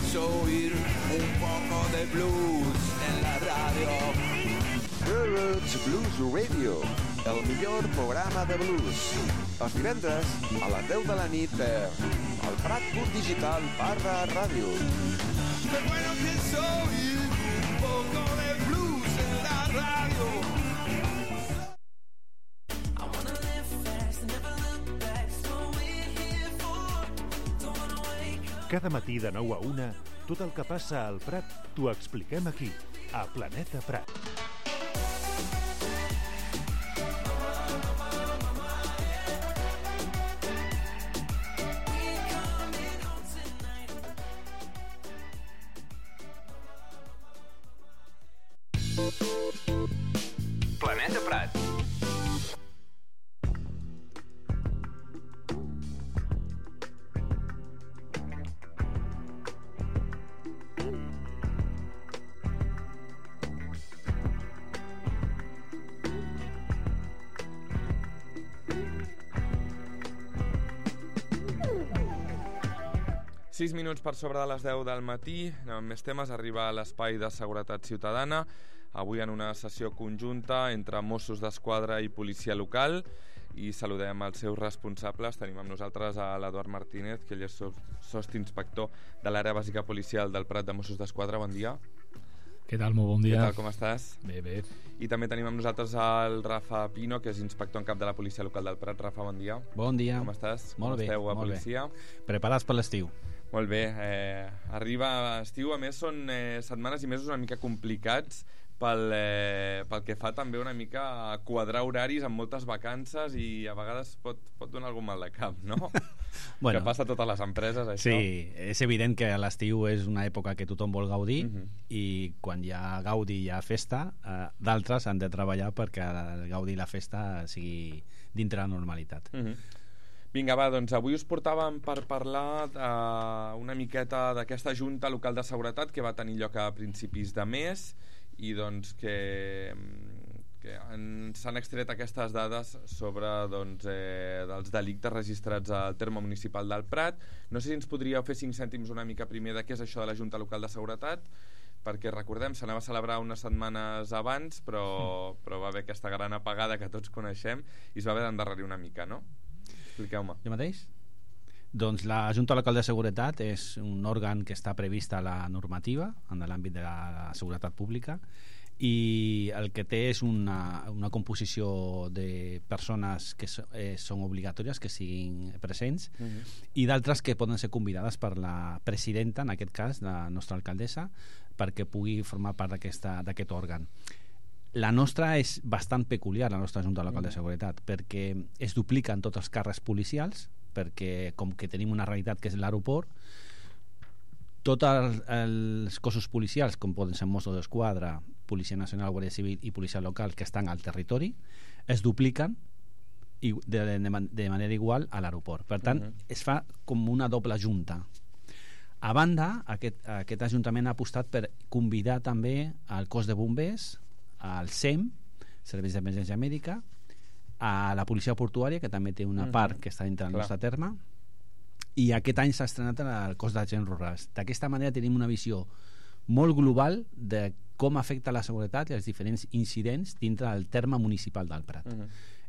pienso oír un poco de blues en la radio. The Roots Blues Radio, el millor programa de blues. Els divendres a les 10 de la nit per el Prat.digital/ràdio. Qué bueno pienso oír un poco de blues en la radio. Cada matí de 9 a 1, tot el que passa al Prat t'ho expliquem aquí, a Planeta Prat. Planeta Prat. Sis minuts per sobre de les 10 del matí, amb més temes, arriba a l'espai de seguretat ciutadana, avui en una sessió conjunta entre Mossos d'Esquadra i policia local, i saludem els seus responsables. Tenim amb nosaltres a l'Eduard Martínez, que ell és sostinspector de l'àrea bàsica policial del Prat de Mossos d'Esquadra. Bon dia. Què tal? Molt bon dia. Què tal, com estàs? Bé, bé. I també tenim amb nosaltres el Rafa Pino, que és inspector en cap de la policia local del Prat. Rafa, bon dia. Bon dia. Com estàs? Molt bé. Com esteu a molt policia? Bé. Preparats per l'estiu. Molt bé, arriba estiu, a més són setmanes i mesos una mica complicats pel que fa també una mica a quadrar horaris amb moltes vacances, i a vegades pot donar algun mal de cap, no? Bueno, que passa a totes les empreses, això. Sí, és evident que l'estiu és una època que tothom vol gaudir, i quan hi ha gaudi i hi ha festa, d'altres han de treballar perquè el gaudi i la festa sigui dintre la normalitat. Vinga, va, doncs avui us portàvem per parlar una miqueta d'aquesta Junta Local de Seguretat que va tenir lloc a principis de mes, i doncs que s'han extret aquestes dades sobre dels delictes registrats al terme municipal del Prat. No sé si ens podríeu fer 5 cèntims una mica primer de què és això de la Junta Local de Seguretat, perquè recordem, s'anava a celebrar unes setmanes abans, però va haver aquesta gran apagada que tots coneixem i es va haver d'endarrerir una mica, no? Expliqueu-me. Jo mateix? Doncs la Junta Local de Seguretat és un òrgan que està previst a la normativa en l'àmbit de la seguretat pública, i el que té és una composició de persones que són obligatòries que siguin presents, i d'altres que poden ser convidades per la presidenta, en aquest cas la nostra alcaldessa, perquè pugui formar part d'aquest òrgan. La nostra és bastant peculiar, la nostra Junta Local de Seguretat, perquè es dupliquen tots els càrrecs policials, perquè com que tenim una realitat que és l'aeroport, tots els cossos policials, com poden ser Mossos d'Esquadra, Policia Nacional, Guàrdia Civil i Policia Local, que estan al territori, es dupliquen de manera igual a l'aeroport. Per tant, es fa com una doble junta. A banda, aquest Ajuntament ha apostat per convidar també al cos de bombers, al SEM, Serveis d'Emergència Mèdica, a la policia portuària, que també té una part que està dintre del nostre terme, i aquest any s'ha estrenat el cos d'agents rurals. D'aquesta manera tenim una visió molt global de com afecta la seguretat i els diferents incidents dintre del terme municipal del Prat.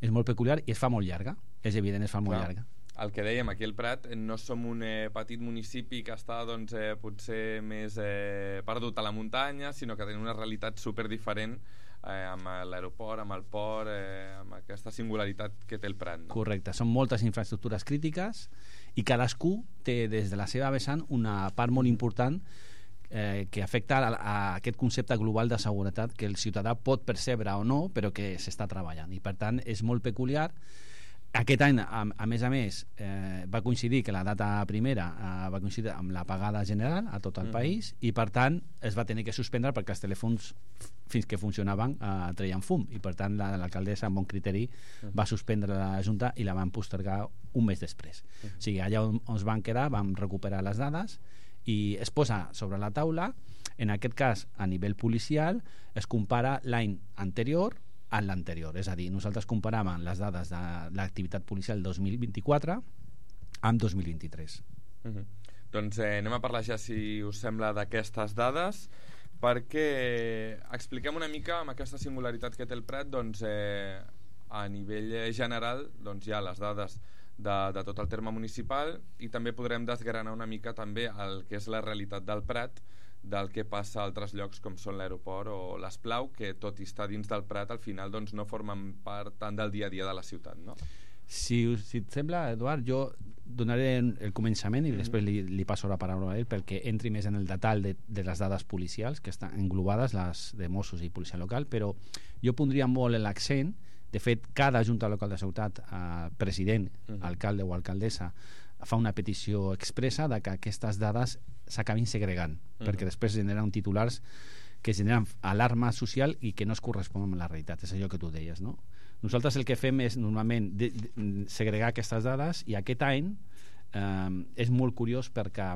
És molt peculiar i es fa molt llarga, és evident, es fa molt llarga. El que dèiem, aquí al Prat no som un petit municipi que està potser més perdut a la muntanya, sinó que tenim una realitat superdiferent amb l'aeroport, amb el port, amb aquesta singularitat que té el Prat, no? Correcte, són moltes infraestructures crítiques i cadascú té des de la seva vessant una part molt important que afecta a aquest concepte global de seguretat que el ciutadà pot percebre o no, però que s'està treballant, i per tant és molt peculiar. Aquest any, a més, va coincidir que la data primera va coincidir amb l'apagada general a tot el país, i per tant es va tenir que suspendre perquè els telèfons fins que funcionaven treien fum, i per tant l'alcaldessa amb bon criteri va suspendre la Junta i la van postergar un mes després. O sigui, allà on es van quedar vam recuperar les dades i es posa sobre la taula. En aquest cas, a nivell policial, es compara l'any anterior en l'anterior, és a dir, nosaltres comparàvem les dades de l'activitat policial 2024 amb 2023. Doncs anem a parlar ja, si us sembla, d'aquestes dades, perquè expliquem una mica amb aquesta singularitat que té el Prat, doncs a nivell general doncs hi ha les dades de tot el terme municipal, i també podrem desgranar una mica també el que és la realitat del Prat, del que passa a altres llocs com són l'aeroport o l'Esplau, que tot i estar dins del Prat al final doncs no formen part tant del dia a dia de la ciutat, no? Si et sembla, Eduard, jo donaré el començament i després li passo la paraula a ell perquè entri més en el detall de les dades policials que estan englobades, les de Mossos i policia local, però jo pondria molt l'accent. De fet, cada junta local de ciutat, president, alcalde o alcaldessa, fa una petició expressa de que aquestes dades s'acabin segregant, perquè després generen titulars que generen alarma social i que no es corresponen amb la realitat. És allò que tu deies, no? Nosaltres el que fem és normalment segregar aquestes dades, i aquest any és molt curiós perquè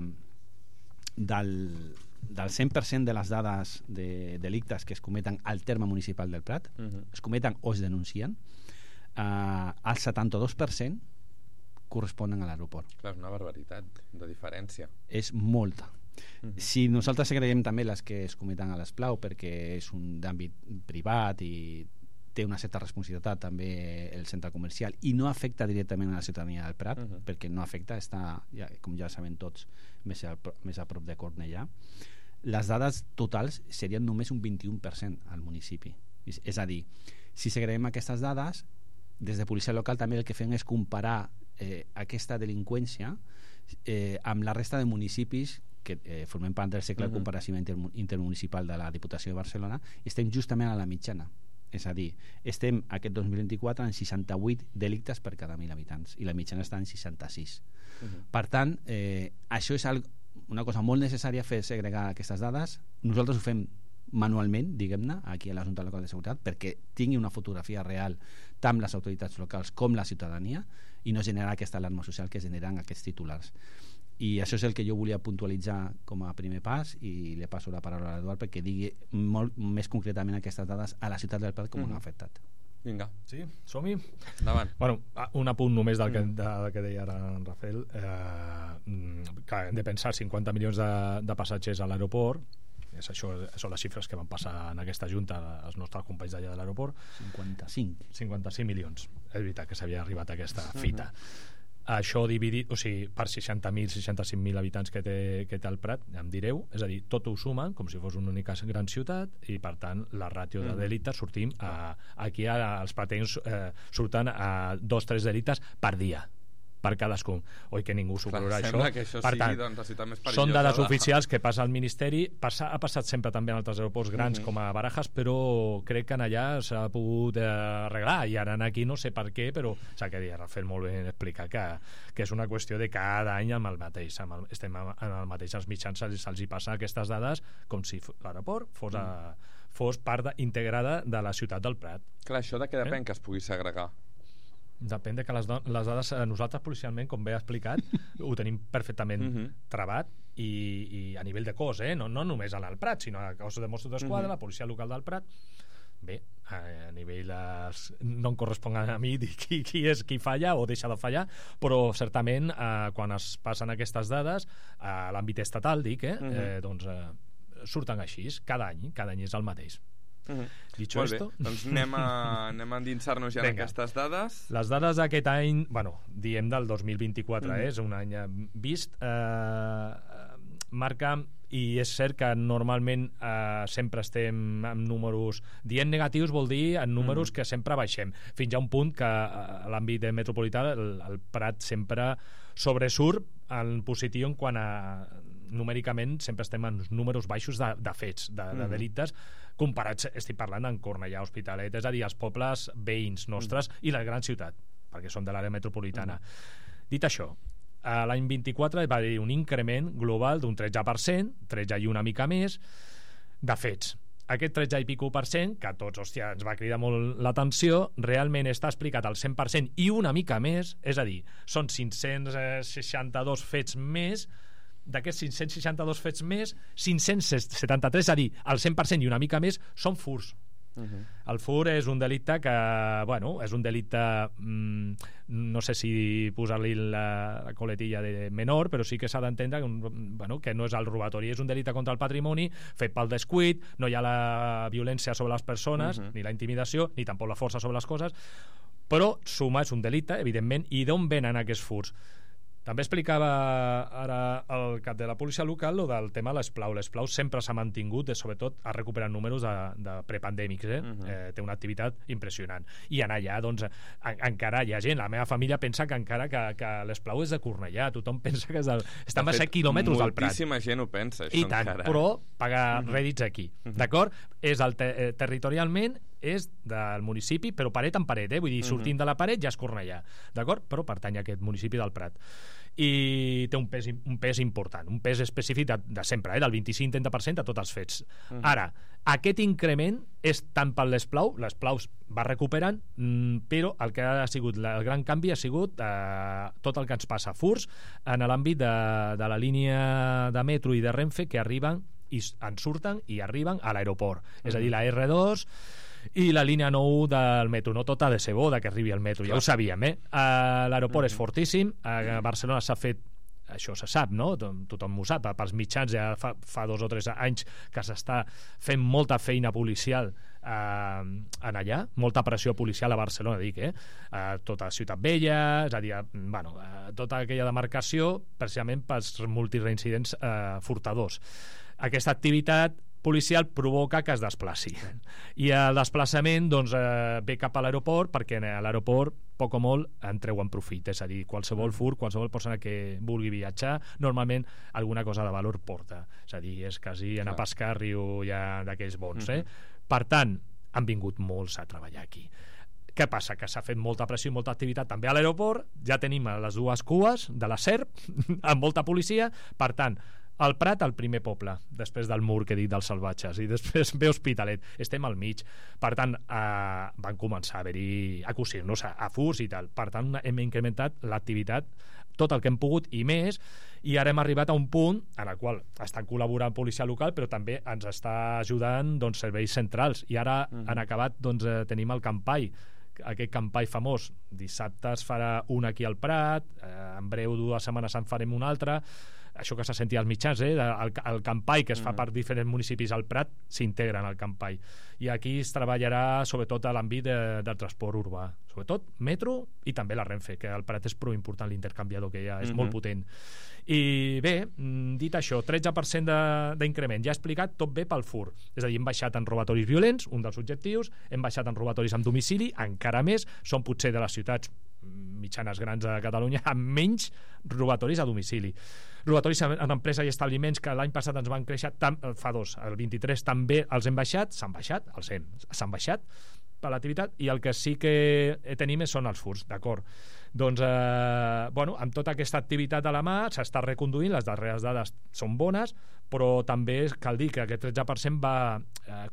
del 100% de les dades de delictes que es cometen al terme municipal del Prat, es cometen o es denuncien, el 72% corresponen a l'aeroport. Clar, és una barbaritat de diferència. És molta. Si nosaltres segreguem també les que es cometen a l'Esplau, perquè és un d'àmbit privat i té una certa responsabilitat també el centre comercial i no afecta directament a la ciutadania del Prat, perquè no afecta, està, com ja sabem tots, més a prop de Cornellà. Les dades totals serien només un 21% al municipi. És a dir, si segreguem aquestes dades, des de policia local també el que fem és comparar aquesta delinqüència amb la resta de municipis que formem part del cercle de comparació intermunicipal de la Diputació de Barcelona, i estem justament a la mitjana. És a dir, estem aquest 2024 en 68 delictes per cada 1.000 habitants i la mitjana està en 66. Per tant, això és una cosa molt necessària, fer segregar aquestes dades. Nosaltres ho fem manualment, diguem-ne, aquí a la Junta Local de Seguretat, perquè tingui una fotografia real tant les autoritats locals com la ciutadania i no generar aquesta alarma social que generen aquests titulars. I això és el que jo volia puntualitzar com a primer pas, i li passo la paraula a l'Eduard perquè digui molt més concretament aquestes dades a la ciutat del Prat com no ha afectat. Vinga. Sí, som-hi? Endavant. Bueno, un apunt només del que deia ara en Rafael. Que hem de pensar 50 milions de passatgers a l'aeroport. Això són les xifres que van passar en aquesta junta als nostres companys d'allà de l'aeroport. 55 milions. És veritat que s'havia arribat a aquesta fita. Això dividit, o sigui, per 60.000, 65.000 habitants que té el Prat, ja em direu, és a dir, tot ho sumen com si fos una única gran ciutat, i per tant la ràtio de delictes sortim aquí els pratencs surten a 2-3 delictes per dia per cadascun. Oi que ningú s'ho creurà, això. Sembla que això per tant, sigui doncs, la ciutat més perillosa. Són dades oficials que passa al Ministeri. Ha passat sempre també en altres aeroports grans com a Barajas, però crec que en allà s'ha pogut arreglar, i ara aquí no sé per què, però s'ha que dir, Rafael molt ben explicar que és una qüestió de cada any amb el mateix, estem en el mateix, als mitjans se'ls hi passa aquestes dades com si l'aeroport fos part integrada de la ciutat del Prat. Clar, això de què depèn que es pugui segregar? Depèn de que les dades, nosaltres policialment, com bé he explicat, ho tenim perfectament travat, i a nivell de cos, no només al Prat, sinó a cos de Mossos d'Esquadra, la policia local del Prat. Bé, a nivell no em correspon a mi dir qui falla o deixa de fallar, però certament quan es passen aquestes dades a l'àmbit estatal, doncs surten així, cada any és el mateix. Dicho esto, doncs anem a endinsar-nos ja en aquestes dades. Les dades d'aquest any, diem del 2024, és un any vist, marca, i és cert que normalment sempre estem amb números, dient negatius vol dir en números que sempre baixem, fins a un punt que a l'àmbit metropolità el Prat sempre sobresurt en positiu en quant a numèricament sempre estem en números baixos de fets, de delictes, comparats, estic parlant en Cornellà, Hospitalet, és a dir, els pobles veïns nostres i la gran ciutat, perquè són de l'àrea metropolitana. Dit això, l'any 24 va haver un increment global d'un 13%, 13 i una mica més, de fets. Aquest 13 i pico %, que a tots, hòstia, ens va cridar molt l'atenció, realment està explicat al 100% i una mica més, és a dir, són 562 fets més. D'aquests 562 fets més, 573, és a dir, el 100% i una mica més, són furts. El fur és un delicte que, bueno, és un delicte, no sé si posar-li la coletilla de menor, però sí que s'ha d'entendre que no és el robatori, és un delicte contra el patrimoni fet pel descuit, no hi ha la violència sobre les persones, ni la intimidació, ni tampoc la força sobre les coses, però suma és un delicte, evidentment, i d'on venen aquests furs? També explicava ara el cap de la policia local lo del tema de l'esplau. L'esplau sempre s'ha mantingut, sobretot ha recuperat números de prepandèmics, té una activitat impressionant. I en allà, doncs, encara hi ha gent, la meva família pensa que encara que l'esplau és de Cornellà, tothom pensa que estan a 7 quilòmetres del Prat. Moltíssima gent ho pensa, això i tant, encara. però paga rèdits aquí, d'acord? És territorialment és del municipi, però paret en paret, vull dir, sortint de la paret ja és Cornellà, d'acord? Però pertany a aquest municipi del Prat. I té un pes important, un pes específic de sempre, del 25-30% a tots els fets. Ara, aquest increment és tant per l'esplau va recuperant, però el que ha sigut el gran canvi ha sigut tot el que ens passa, furs en l'àmbit de la línia de metro i de Renfe que arriben i en surten i arriben a l'aeroport, és a dir, la R2 i la línia 9 del metro. No tot ha de ser bo que arribi al metro, ja ho sabíem, l'aeroport és fortíssim, a Barcelona s'ha fet, això se sap, no? Tothom ho sap, pels mitjans ja fa 2 o 3 anys que s'està fent molta feina policial en allà, molta pressió policial a Barcelona, dic, tota Ciutat Vella, és a dir, bueno, tota aquella demarcació precisament pels multireincidents furtadors. Aquesta activitat policial provoca que es desplaci i el desplaçament doncs, ve cap a l'aeroport perquè a l'aeroport poc o molt en treuen profit, és a dir, qualsevol fur, qualsevol persona que vulgui viatjar normalment alguna cosa de valor porta, és a dir, és quasi anar a pescar a riu ja d'aquells bons, per tant han vingut molts a treballar aquí. Què passa? Que s'ha fet molta pressió i molta activitat també a l'aeroport, ja tenim les dues cues de la SERP amb molta policia, per tant el Prat, el primer poble, després del mur que he dit dels salvatges, i després ve Hospitalet, estem al mig, per tant van començar a haver-hi a cosir-nos a furs i tal, per tant hem incrementat l'activitat tot el que hem pogut i més, i ara hem arribat a un punt en el qual estan col·laborant policia local però també ens està ajudant doncs, serveis centrals, i ara han acabat doncs, tenim el Campai, aquest Campai famós. Dissabte es farà un aquí al Prat, en breu 2 setmanes en farem un altre, això que s'ha sentit als mitjans, el Campai que es fa per diferents municipis al Prat s'integra en el Campai, i aquí es treballarà sobretot a l'àmbit del transport urbà, sobretot metro i també la Renfe, que al Prat és prou important l'intercanviador que hi ha, és molt potent. I bé, dit això, 13% d'increment, ja he explicat, tot bé pel fur, és a dir, hem baixat en robatoris violents, un dels objectius, hem baixat en robatoris amb domicili, encara més, són potser de les ciutats mitjanes grans de Catalunya amb menys robatoris a domicili. Robatoris en empreses i establiments que l'any passat ens van créixer, fa 2, el 23 també els hem baixat, s'han baixat per l'activitat, i el que sí que tenim són els furs, d'acord? Doncs, amb tota aquesta activitat a la mà s'està reconduint, les darreres dades són bones, però també cal dir que aquest 13% va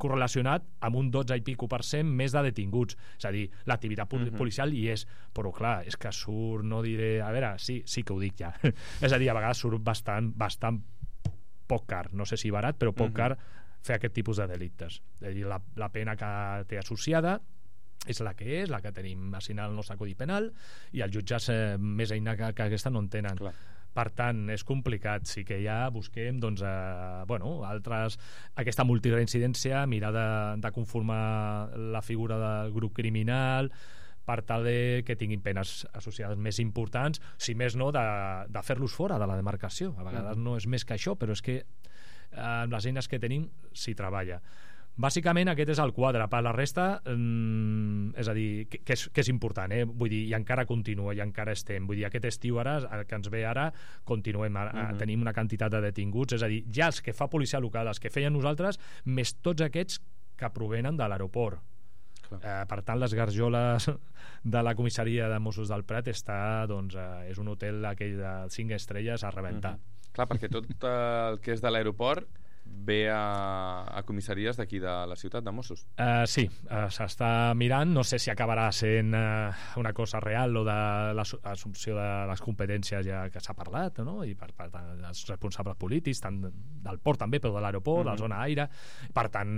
correlacionat amb un 12 i pico % més de detinguts, és a dir, l'activitat policial hi és, però clar, és que surt, no diré, a veure, sí que ho dic ja, és a dir, a vegades surt bastant poc car, no sé si barat, però poc car fer aquest tipus de delictes, és a dir, la pena que té associada és la que tenim assignada al nostre Codi Penal, i els jutges més eina que aquesta no en tenen. Clar. Per tant, és complicat. Sí que ja busquem altres, aquesta multireincidència, mirar de conformar la figura del grup criminal per tal que tinguin penes associades més importants, si més no de fer-los fora de la demarcació. A vegades no és més que això, però és que amb les eines que tenim s'hi treballa. Bàsicament aquest és el quadre. Per la resta, és a dir, que és important, vull dir, i encara continua, i encara estem, vull dir, aquest estiu ara, el que ens ve ara, continuem, tenim una quantitat de detinguts, és a dir, ja els que fa policia local, els que feien nosaltres, més tots aquests que provenen de l'aeroport. Per tant, les garjoles de la comissaria de Mossos del Prat és un hotel aquell de 5 estrelles a rebentar. Clar, perquè tot el que és de l'aeroport ve a comissaries d'aquí de la ciutat de Mossos. Sí, s'està mirant, no sé si acabarà sent una cosa real o de l'assumpció de les competències ja que s'ha parlat, no? I per tant els responsables polítics, tant del port també, però de l'aeroport, de la zona aire, per tant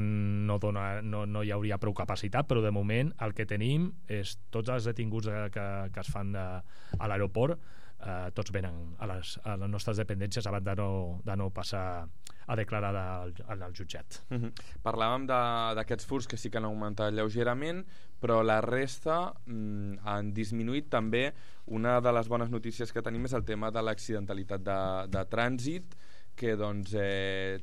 no hi hauria prou capacitat, però de moment el que tenim és tots els detinguts que es fan a l'aeroport, tots venen a les nostres dependències abans de no passar a declarar al jutjat. Parlàvem d'aquests furts que sí que han augmentat lleugerament, però la resta han disminuït també. Una de les bones notícies que tenim és el tema de l'accidentalitat de trànsit, que doncs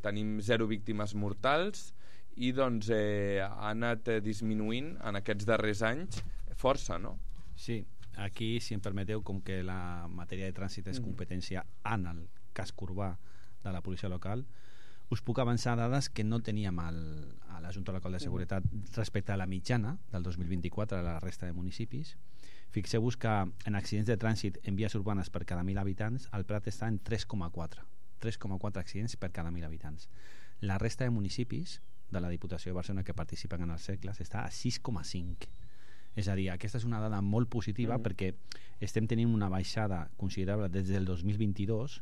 tenim 0 víctimes mortals i doncs ha anat disminuint en aquests darrers anys força, no? Sí, aquí, si em permeteu, com que la matèria de trànsit és competència en el casc urbà de la policia local, us puc avançar dades que no teníem a la Junta Local de Seguretat respecte a la mitjana del 2024 a la resta de municipis. Fixeu-vos que en accidents de trànsit en vies urbanes per cada 1.000 habitants el Prat està en 3,4 accidents per cada 1.000 habitants. La resta de municipis de la Diputació de Barcelona que participen en els cercles està a 6,5. És a dir, aquesta és una dada molt positiva perquè estem tenint una baixada considerable des del 2022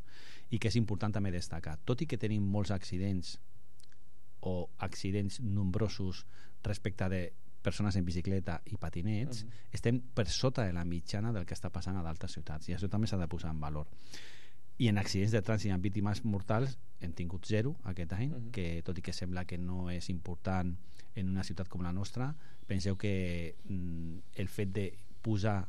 i que és important també destacar. Tot i que tenim molts accidents o accidents nombrosos respecte de persones en bicicleta i patinets, estem per sota de la mitjana del que està passant a d'altres ciutats i això també s'ha de posar en valor. I en accidents de trànsit amb víctimes mortals hem tingut 0 aquest any, que tot i que sembla que no és important en una ciutat com la nostra, penseu que el fet de posar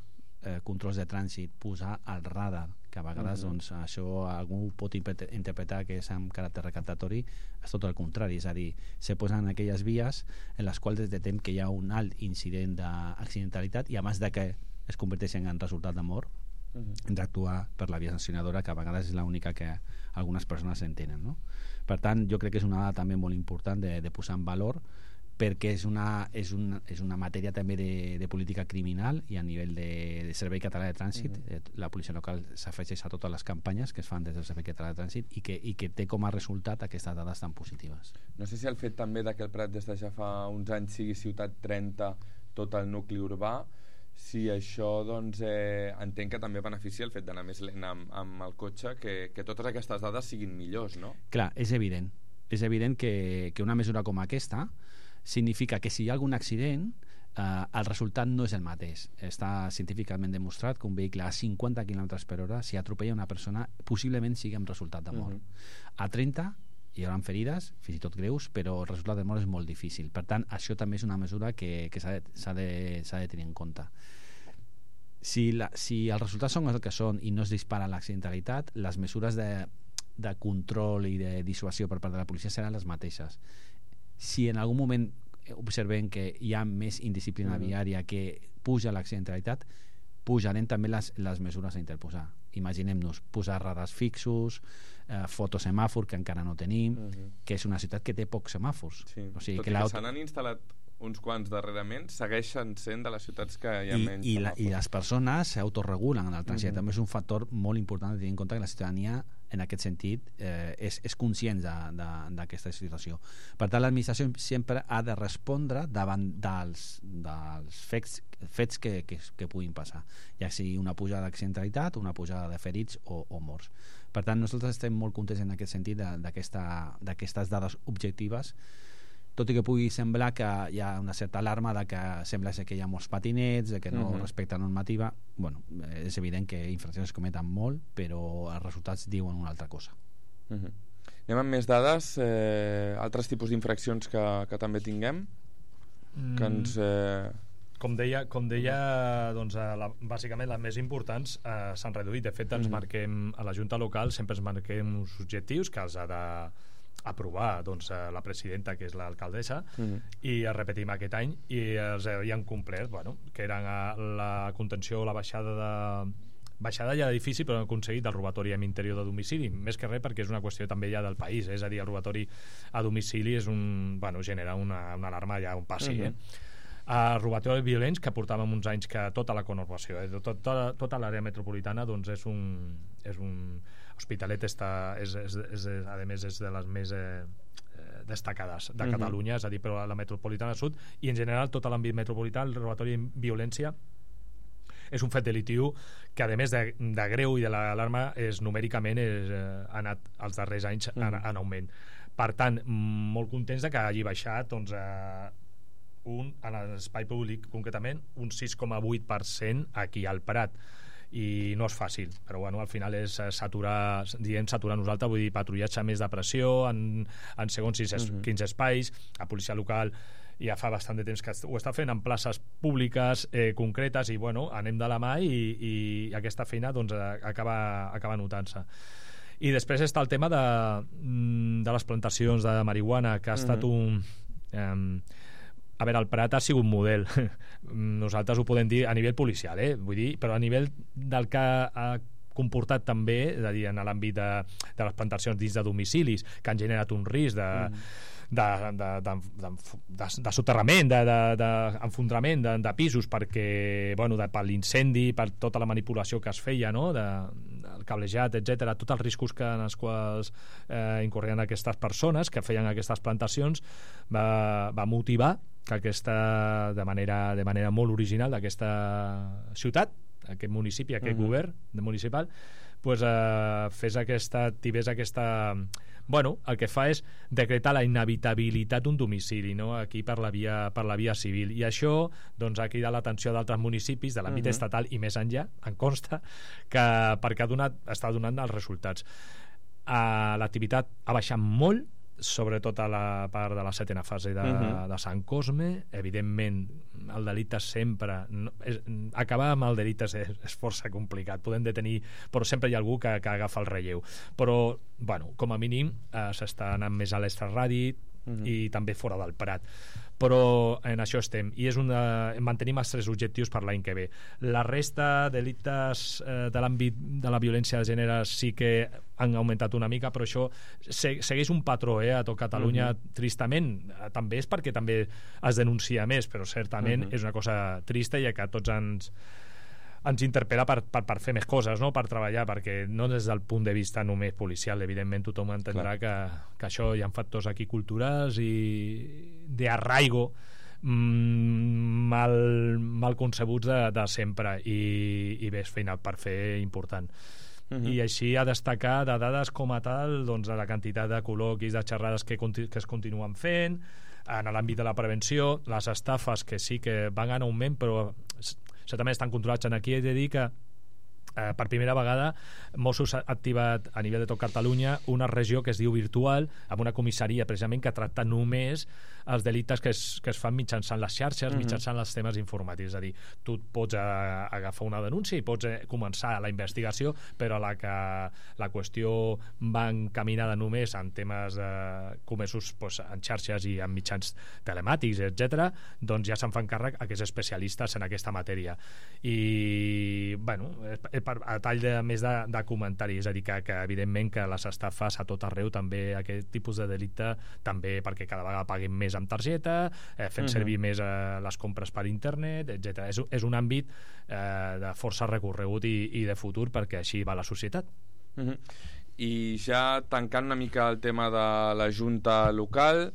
controls de trànsit, posar el radar, que a vegades doncs, això algú pot interpretar que és amb caràcter recaptatori, és tot el contrari, és a dir, se posen aquelles vies en les quals detectem que hi ha un alt incident d'accidentalitat i a més de que es converteixen en resultat de mort, hem d'actuar per la via sancionadora, que a vegades és l'única que algunes persones entenen, no? Per tant, jo crec que és una dada també molt important de posar en valor, perquè és una matèria també de política criminal i a nivell de Servei Català de Trànsit. La policia local s'afegeix a totes les campanyes que es fan des del Servei Català de Trànsit i que té com a resultat aquestes dades tan positives. No sé si el fet també que el Prat des de ja fa uns anys sigui ciutat 30 tot el nucli urbà, si això doncs entenc que també beneficia el fet d'anar més lent amb el cotxe, que totes aquestes dades siguin millors, no? Clar, és evident que una mesura com aquesta significa que si hi ha algun accident el resultat no és el mateix. Està científicament demostrat que un vehicle a 50 km/h, si atropella una persona, possiblement sigui amb resultat de mort. A 30 hi haurà ferides, fins i tot greus, però el resultat de mort és molt difícil. Per tant, això també és una mesura que s'ha de tenir en compte. Si els resultats són el que són i no es dispara l'accidentalitat, les mesures de control i de dissuasió per part de la policia seran les mateixes. Si en algun moment observem que hi ha més indisciplina viària, que puja l'accidentalitat, pujarem també les mesures a interposar. Imaginem-nos posar radars fixos, fotosemàfor, que encara no tenim, que és una ciutat que té pocs semàfors. Sí. O sigui, tot i que se n'han instal·lat uns quants darrerament, segueixen sent de les ciutats que hi ha menys semàfors. I les persones s'autoregulen en el trànsit. També és un factor molt important de tenir en compte que la ciutadania en aquest sentit és conscient d'aquesta situació. Per tant, l'administració sempre ha de respondre davant dels fets que puguin passar, ja sigui una pujada d'accidentalitat, una pujada de ferits o morts. Per tant, nosaltres estem molt contents en aquest sentit d'aquestes dades objectives, tot i que pugui semblar que hi ha una certa alarma de que sembla ser que hi ha molts patinets, de que no respecta normativa. Bueno, és evident que infraccions es cometen molt, però els resultats diuen una altra cosa. Anem amb més dades, altres tipus d'infraccions que també tinguem, que ens... Com deia doncs, bàsicament les més importants s'han reduït. De fet, ens marquem a la Junta Local, sempre ens marquem uns objectius que els ha d'aprovar doncs, la presidenta, que és l'alcaldessa, i els repetim aquest any i els havien complert, que eren la contenció o la baixada ja d'edifici, però han aconseguit el robatori en interior de domicili, més que res perquè és una qüestió també ja del país, és a dir, el robatori a domicili és genera una alarma ja on passi, robatori violents, que portàvem uns anys que tota la conurbació, tota l'àrea metropolitana doncs és un Hospitalet a més és de les més destacades de Catalunya, és a dir, però a la metropolitana sud i en general tot l'àmbit metropolità, el robatori i violència és un fet delictiu que a més de greu i de l'alarma numèricament ha anat els darrers anys en augment. Per tant, molt contents de que hagi baixat doncs, en l'espai públic concretament un 6,8% aquí al Prat, i no és fàcil, però bueno, al final és saturar nosaltres, vull dir, patrullatge més de pressió en segons quins espais. La policia local ja fa bastant de temps que ho està fent en places públiques concretes i bueno, anem de la mà i aquesta feina doncs, acaba notant-se. I després està el tema de les plantacions de marihuana, que ha estat un... A veure, el Prat ha sigut un model. Nosaltres ho podem dir a nivell policial, vull dir, però a nivell del que ha comportat també, és a dir, en l'àmbit de les plantacions dins de domicilis, que han generat un risc de soterrament, d'enfondrament de pisos, perquè, bueno, per l'incendi, per tota la manipulació que es feia, no?, el cablejat, etc., tots els riscos en els quals incorrien aquestes persones que feien aquestes plantacions, va motivar que de manera molt original d'aquesta ciutat, aquest municipi, aquest govern municipal, pues, activés aquesta... Bueno, el que fa és decretar la inhabitabilitat d'un domicili, no?, aquí per la via civil, i això doncs, ha cridat l'atenció d'altres municipis de l'àmbit estatal i més enllà, em consta, perquè està donant els resultats. L'activitat ha baixat molt, sobretot a la part de la 7ª fase de Sant Cosme. Evidentment el delicte sempre acabar amb el delicte és força complicat, podem detenir, però sempre hi ha algú que agafa el relleu, però bueno, com a mínim s'està anant més a l'extraradi i també fora del Prat, però en això estem i mantenim els 3 objectius per l'any que ve. La resta de delictes de l'àmbit de la violència de gènere sí que han augmentat una mica, però això segueix un patró a tot Catalunya, tristament. També és perquè també es denuncia més, però certament és una cosa trista i que a tots ens interpel·la per fer més coses, no?, per treballar, perquè no des del punt de vista només policial, evidentment tothom entendrà que això hi ha factors aquí culturals i d'arraigo mal concebuts de sempre i bé, és feina per fer important. I així a destacar de dades com a tal, doncs, la quantitat de col·loquis, de xerrades que es continuen fent, en l'àmbit de la prevenció, les estafes que sí que van en augment, però certament estan controlats. Aquí he de dir que per primera vegada Mossos ha activat a nivell de tot Catalunya una regió que es diu virtual, amb una comissaria precisament que tracta només els delictes que es fan mitjançant les xarxes, mitjançant els temes informàtics. És a dir, tu pots agafar una denúncia i pots començar la investigació, però la qüestió va encaminada només en temes comesos en xarxes i en mitjans telemàtics, etc., doncs ja se'n fan càrrec aquests especialistes en aquesta matèria. I, bueno, a tall més de comentari, és a dir, que evidentment que les estafes a tot arreu, també aquest tipus de delicte, també perquè cada vegada paguem més amb targeta, fent servir més les compres per internet, etc. És un àmbit de força recorregut i de futur, perquè així va la societat. I ja tancant una mica el tema de la Junta local,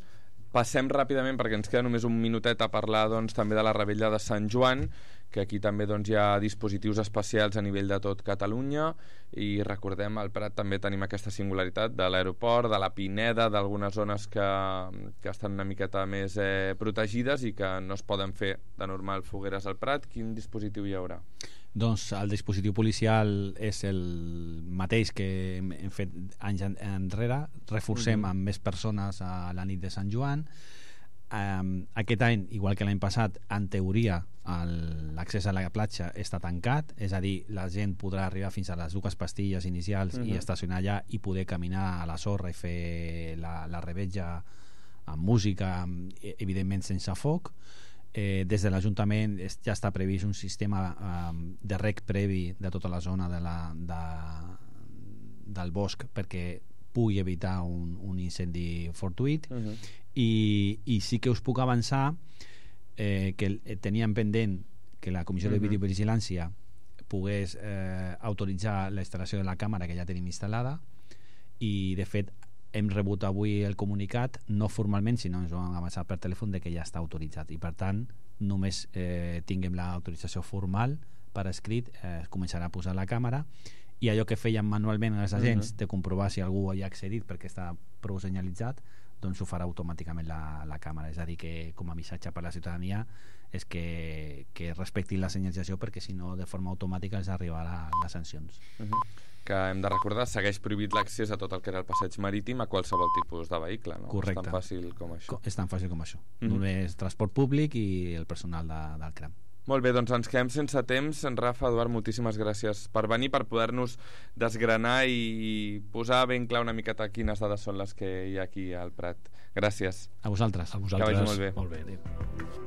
passem ràpidament, perquè ens queda només un minutet, a parlar doncs, també de la Revetlla de Sant Joan, que aquí també doncs, hi ha dispositius especials a nivell de tot Catalunya, i recordem, al Prat també tenim aquesta singularitat de l'aeroport, de la Pineda, d'algunes zones que estan una miqueta més protegides i que no es poden fer de normal fogueres al Prat. Quin dispositiu hi haurà? Doncs el dispositiu policial és el mateix que hem fet anys enrere, reforcem amb més persones a la nit de Sant Joan. Aquest any, igual que l'any passat, en teoria l'accés a la platja està tancat, és a dir, la gent podrà arribar fins a les 2 pastilles inicials i estacionar allà i poder caminar a la sorra i fer la revetlla amb música, evidentment sense foc. Des de l'Ajuntament ja està previst un sistema de rec previ de tota la zona del bosc perquè pugui evitar un incendi fortuït. I sí que us puc avançar que teníem pendent que la Comissió de Videovigilància pogués autoritzar la instal·lació de la càmera que ja tenim instal·lada, i de fet hem rebut avui el comunicat, no formalment, sinó ens ho han avançat per telèfon de que ja està autoritzat, i per tant només tinguem l'autorització formal per escrit, començarà a posar la càmera, i allò que feien manualment els agents de comprovar si algú hi ha accedit perquè està prou senyalitzat, doncs ho farà automàticament la càmera. És a dir, que com a missatge per a la ciutadania és que respectin la senyalització, perquè si no de forma automàtica els arribaran les sancions. Que hem de recordar, segueix prohibit l'accés a tot el que era el passeig marítim a qualsevol tipus de vehicle, no? Correcte. És tan fàcil com això. És tan fàcil com això. Només transport públic i el personal del CRAM. Molt bé, doncs ens quedem sense temps. En Rafa, Eduard, moltíssimes gràcies per venir, per poder-nos desgranar i posar ben clar una miqueta quines dades són les que hi ha aquí al Prat. Gràcies. A vosaltres. A vosaltres. Que vagi molt bé. Molt bé.